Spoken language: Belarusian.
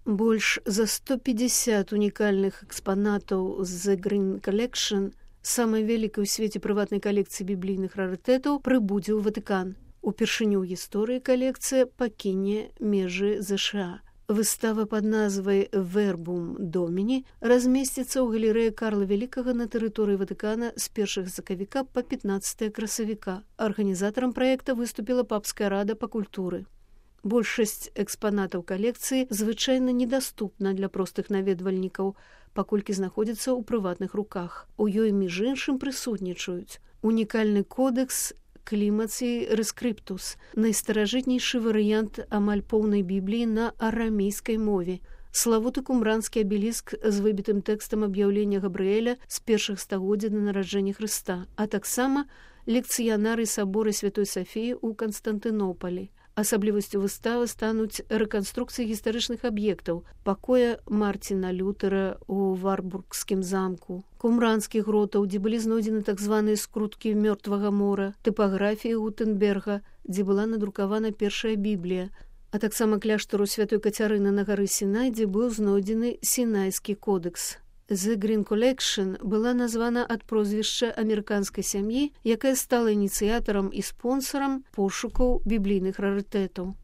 Больш за 150 унікальных экспанатаў з The Green Collection, самай вялікай у свеце прыватнай калекцыі біблійных рарытэтаў, прыбудзе ў Ватыкан. Упершыню ў гісторыі калекцыя пакіне межы ЗША. Выстава пад назвай «Verbum Domini» размесціцца ў галерэі Карла Вялікага на тэрыторыі Ватыкана з 1 сакавіка па 15 красавіка. Арганізатарам праекта выступіла Папская рада па культуры. Большасць экспанатаў калекцыі звычайна недаступна для простых наведвальнікаў, паколькі знаходзіцца ў прыватных руках. У ёй, між іншым, прысутнічаюць унікальны кодэкс Клімацій Рескриптус, найстаражытнейшы варыянт амаль поўнай бібліі на арамейскай мове, славуты кумранскі абеліск з выбітым тэкстам аб'яўлення Габрыэля з першых стагоддзя да нараджэння Хрыста, а таксама лекцыянарый сабора Святой Сафіі ў Канстантынополі. Асаблівасцю выставы стануць рэканструкцыі гістарычных аб'ектаў, пакоя Марціна Лютера ў Варбургскім замку, кумранскіх гротаў, дзе былі знойдзены так званыя скруткі мёртвага мора, тыпаграфіі Гутенберга, дзе была надрукавана першая Біблія, а таксама кляштару Святой Кацярыны на гары Сінай, дзе быў знойдзены Сінайскі кодэкс. The Green Collection была названа ад прозвішча амерыканскай сям'і, якая стала ініцыятарам і спонсарам пошукаў біблійных рарытэтаў.